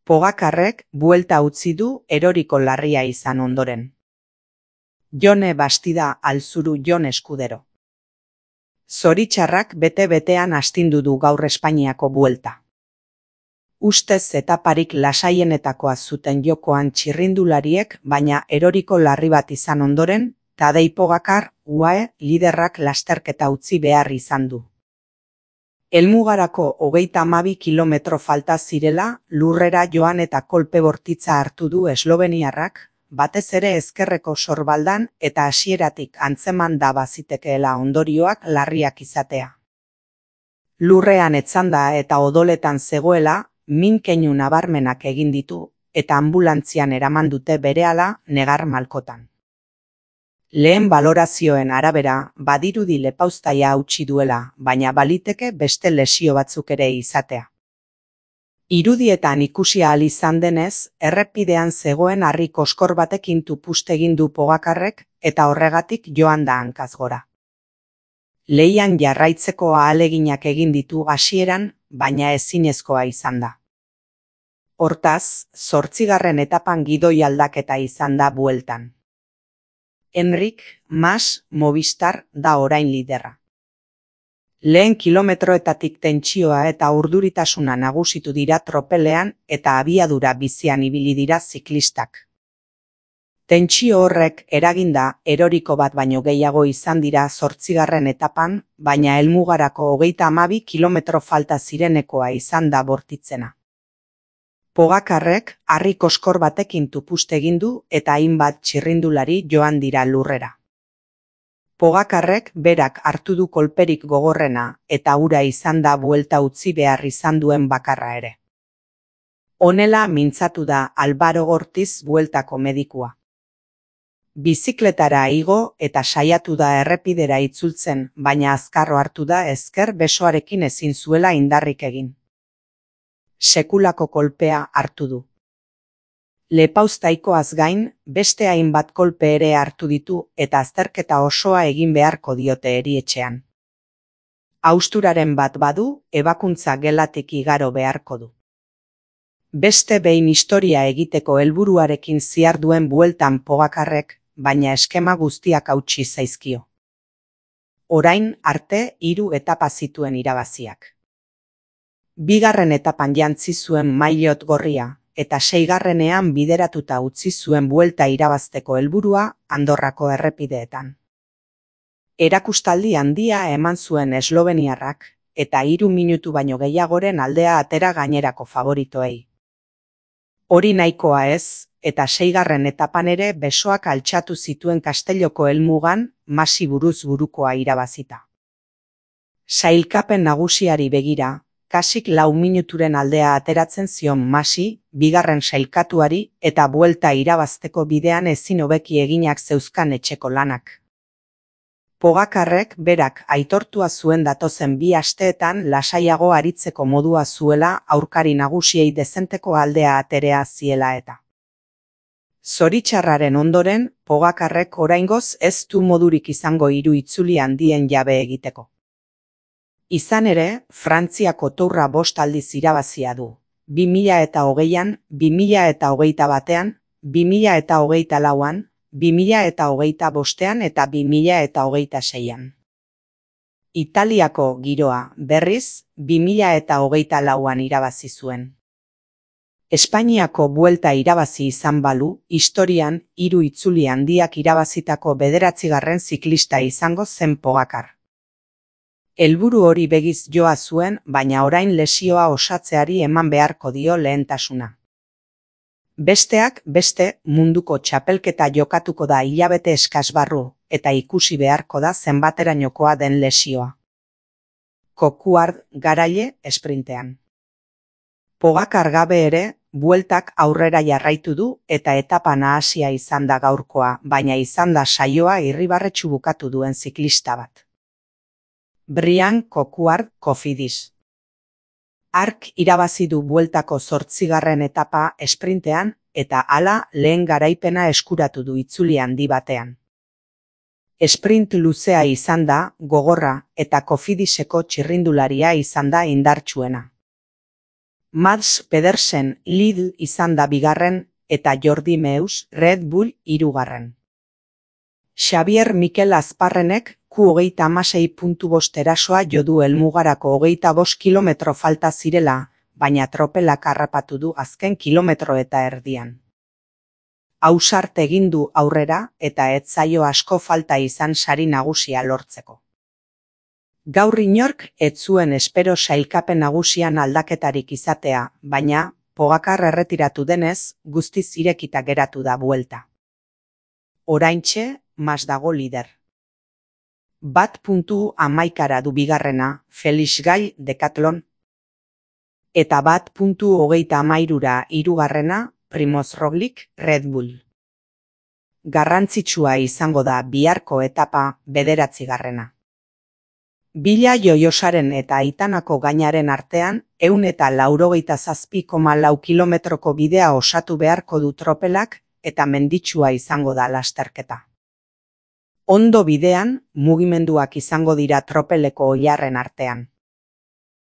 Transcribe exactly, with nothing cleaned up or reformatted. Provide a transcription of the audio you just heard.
Pogakarrek buelta utzi du eroriko larria izan ondoren. Jone Bastida Alzuru Jon Eskudero. Zoritxarrak bete-betean astindu du gaur Espainiako buelta. Ustez etaparik lasaienetakoa zuten jokoan txirrindulariek, baina eroriko larri bat izan ondoren, Tadej Pogačar, U A E liderrak lasterketa utzi behar izan du. Helmugarako hogeita hamabi kilometro falta zirela, lurrera joan eta kolpe bortitza hartu du esloveniarrak, batez ere ezkerreko sorbaldan eta hasieratik antzeman da bazitekeela ondorioak larriak izatea. Lurrean etzanda eta odoletan zegoela, min keinu nabarmenak egin ditu, eta anbulantzian eraman dute berehala negar malkotan. Lehen balorazioen arabera, badirudi lepauztaia hautsi duela, baina baliteke beste lesio batzuk ere izatea. Irudietan ikusi ahal izan denez, errepidean zegoen harri koskor batekin tupust egin du Pogakarrek eta horregatik joan da hankaz gora. Lehian jarraitzeko ahaleginak egin ditu hasieran, baina ezinezkoa izan da. Hortaz, zortzigarren etapan gidoi aldaketa izan da bueltan. Enric Mas Movistar da orain liderra. Lehen kilometroetatik tentsioa eta urduritasuna nagusitu dira tropelean eta abiadura bizian ibili dira ziklistak. Tentsio horrek eraginda eroriko bat baino gehiago izan dira zortzigarren etapan, baina helmugarako hogeita hamabi kilometro falta zirenekoa izan da bortitzena. Pogakarrek harri koskor batekin tupust egin du eta hainbat txirrindulari joan dira lurrera. Pogakarrek berak hartu du kolperik gogorrena eta hura izan da buelta utzi behar izan duen bakarra ere. Honela mintzatu da Álvaro Ortiz bueltako medikua. Bizikletara igo eta saiatu da errepidera itzultzen, baina azkarro hartu da ezker besoarekin ezin zuela indarrik egin. Sekulako kolpea hartu du. Lepauztaikoaz gain, beste hainbat kolpe ere hartu ditu eta azterketa osoa egin beharko diote erietxean. Hausturaren bat badu, ebakuntza gelatik igaro beharko du. Beste behin historia egiteko helburuarekin ziharduen bueltan Pogakarrek, baina eskema guztiak hautsi zaizkio. Orain arte hiru etapa zituen irabaziak. Bigarren etapan jantzi zuen maillot gorria, eta seigarrenean bideratuta utzi zuen buelta irabazteko helburua Andorrako errepideetan. Erakustaldi handia eman zuen esloveniarrak, eta hiru minutu baino gehiagoren aldea atera gainerako favoritoei. Hori nahikoa ez, eta seigarren etapan ere besoak altxatu zituen Kastelloko helmugan, Masi buruz burukoa irabazita. Sailkapen nagusiari begira, kasik lau minuturen aldea ateratzen zion Masi, bigarren sailkatuari eta buelta irabazteko bidean ezin hobeki eginak zeuzkan etxeko lanak. Pogakarrek berak aitortua zuen datozen bi asteetan lasaiago aritzeko modua zuela aurkari nagusiei dezenteko aldea aterea ziela eta. Zoritxarraren ondoren, Pogakarrek oraingoz ez du modurik izango hiru itzuli handien jabe egiteko. Izan ere, Frantziako Tourra bost aldiz irabazia du. bi mila eta hogeian, bi mila eta hogeita batean, bi mila eta hogeita lauan, bi mila eta hogeita bostean eta bi mila eta hogeita seian. Italiako giroa, berriz, bi mila eta hogeita lauan irabazi zuen. Espainiako buelta irabazi izan balu, historian hiru itzuli handiak irabazitako bederatzigarren ziklista izango zen Pogačar. Helburu hori begiz joa zuen, baina orain lesioa osatzeari eman beharko dio lehentasuna. Besteak beste munduko txapelketa jokatuko da hilabete eskas barru, eta ikusi beharko da zenbaterainokoa den lesioa. Coquard garaile esprintean. Pogačar gabe ere, bueltak aurrera jarraitu du eta etapa nahasia izan da gaurkoa, baina izan da saioa irribarretsu bukatu duen ziklista bat. Brian Coquard Cofidis. Hark irabazi du bueltako zortzigarren etapa esprintean eta hala lehen garaipena eskuratu du itzuli handi batean. Esprint luzea izan da, gogorra eta Cofidiseko txirrindularia izan da indartsuena. Mads Pedersen Lidl izan da bigarren eta Jordi Meus Red Bull hirugarren. Xabier Mikel Azparrenek Q hogeita hamasei puntu bost erasoa jodu helmugarako hogeita bost kilometro falta zirela, baina tropelak harrapatu du azken kilometro eta erdian. Ausart egin du aurrera eta ez zaio asko falta izan sari nagusia lortzeko. Gaur inork ez zuen espero sailkapen nagusian aldaketarik izatea, baina Pogacar erretiratu denez, guztiz irekita geratu da buelta. Oraintxe, Mas dago lider. Bat puntu hamaikara du bigarrena Felix Gall Decathlon, eta bat puntu hogeita hamairura hirugarrena Primoz Roglic Red Bull. Garrantzitsua izango da biharko etapa bederatzigarrena. Bila Joiosaren eta Aitanako gainaren artean, ehun eta laurogeita zazpi koma lau kilometroko bidea osatu beharko du tropelak eta menditsua izango da lasterketa. Ondo bidean, mugimenduak izango dira tropeleko oilarren artean.